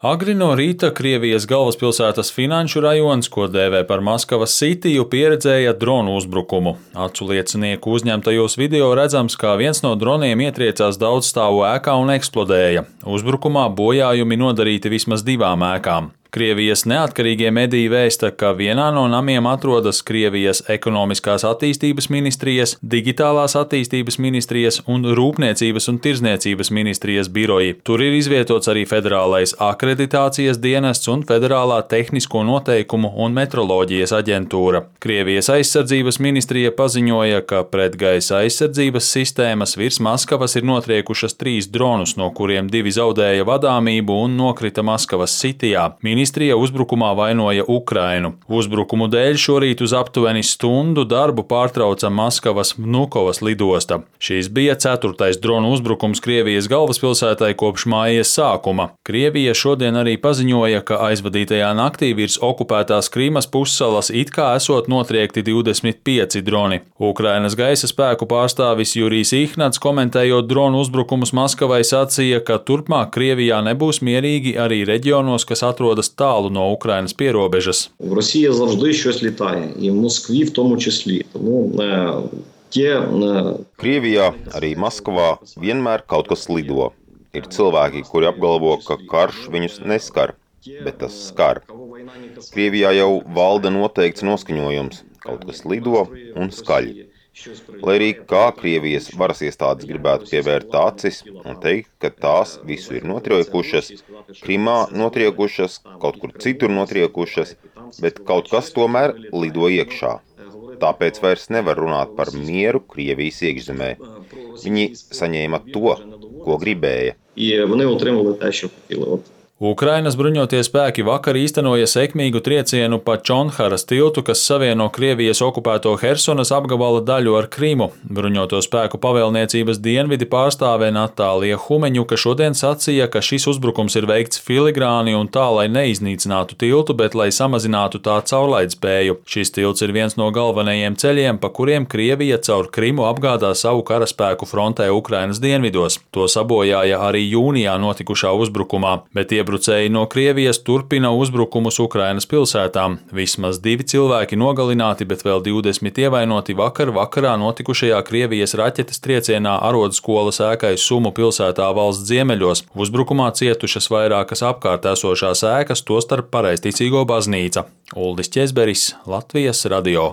Agri no rīta Krievijas galvaspilsētas finanšu rajons, ko dēvē par Maskavas Sitiju, pieredzēja dronu uzbrukumu. Acu liecinieku uzņemtajos video redzams, kā viens no droniem ietriecās daudzstāvu ēkā un eksplodēja. Uzbrukumā bojājumi nodarīti vismaz 2 ēkām. Krievijas neatkarīgie mediji vēsta, ka vienā no namiem atrodas Krievijas ekonomiskās attīstības ministrijas, digitālās attīstības ministrijas un rūpniecības un tirdzniecības ministrijas biroji. Tur ir izvietots arī federālais akreditācijas dienests un federālā tehnisko noteikumu un metroloģijas aģentūra. Krievijas aizsardzības ministrija paziņoja, ka pretgaisa aizsardzības sistēmas virs Maskavas ir notriekušas 3 dronus, no kuriem 2 zaudēja vadāmību un nokrita Maskavas Sitijā. Ministrija uzbrukumā vainoja Ukrainu. Uzbrukumu dēļ šorīt uz aptuveni stundu darbu pārtrauca Maskavas Vnukovas lidosta. Šīs bija 4. dronu uzbrukums Krievijas galvaspilsētai kopš mājas sākuma. Krievija šodien arī paziņoja, ka aizvadītajā naktī virs okupētās Krīmas pussalas it kā esot notriekti 25 droni. Ukrainas gaisa spēku pārstāvis Jurijs Ihnats, komentējot dronu uzbrukumus Maskavai, sacīja, ka turpmāk Krievijā nebūs mierīgi arī reģionos, kas atrodas tālu no Ukrainas pierobežas. В Росії завжди щось літає, і в Москві в тому числі. Krievijā, arī Maskavā, vienmēr kaut kas lido. Ir cilvēki, kuri apgalvo, ka karš viņus neskar, bet tas skar. Krievijā jau valda noteikts noskaņojums, kaut kas lido un skaļ. Lai arī kā Krievijas varas iestādes gribētu pievērt acis un teikt, ka tās visu ir notriekušas, Krimā notriekušas, kaut kur citur notriekušas, bet kaut kas tomēr lido iekšā. Tāpēc vairs nevar runāt par mieru Krievijas iekšzemē. Viņi saņēma to, ko gribēja. Ukrainas bruņotie spēki vakar īstenoja sekmīgu triecienu pa Čonharas tiltu, kas savieno Krievijas okupēto Hersonas apgabala daļu ar Krimu. Bruņoto spēku pavēlniecības dienvidi pārstāve Natālija Humeņuka šodien sacīja, ka šis uzbrukums ir veikts filigrāni un tā, lai neiznīcinātu tiltu, bet lai samazinātu tā caurlaidspēju. Šis tilts ir viens no galvenajiem ceļiem, pa kuriem Krievija caur Krimu apgādā savu karaspēku frontē Ukrainas dienvidos. To sabojāja arī jūnijā notikušā uzbrukumā, bet iebrucēji no Krievijas turpina uzbrukumus Ukrainas pilsētām. Vismaz 2 cilvēki nogalināti, bet vēl 20 ievainoti vakarā notikušajā Krievijas raķetes triecienā arodskolas ēkai Sumu pilsētā valsts ziemeļos. Uzbrukumā cietušas vairākas apkārt esošās ēkas, tostarp pareizticīgo baznīca. Uldis Ķezberis, Latvijas radio.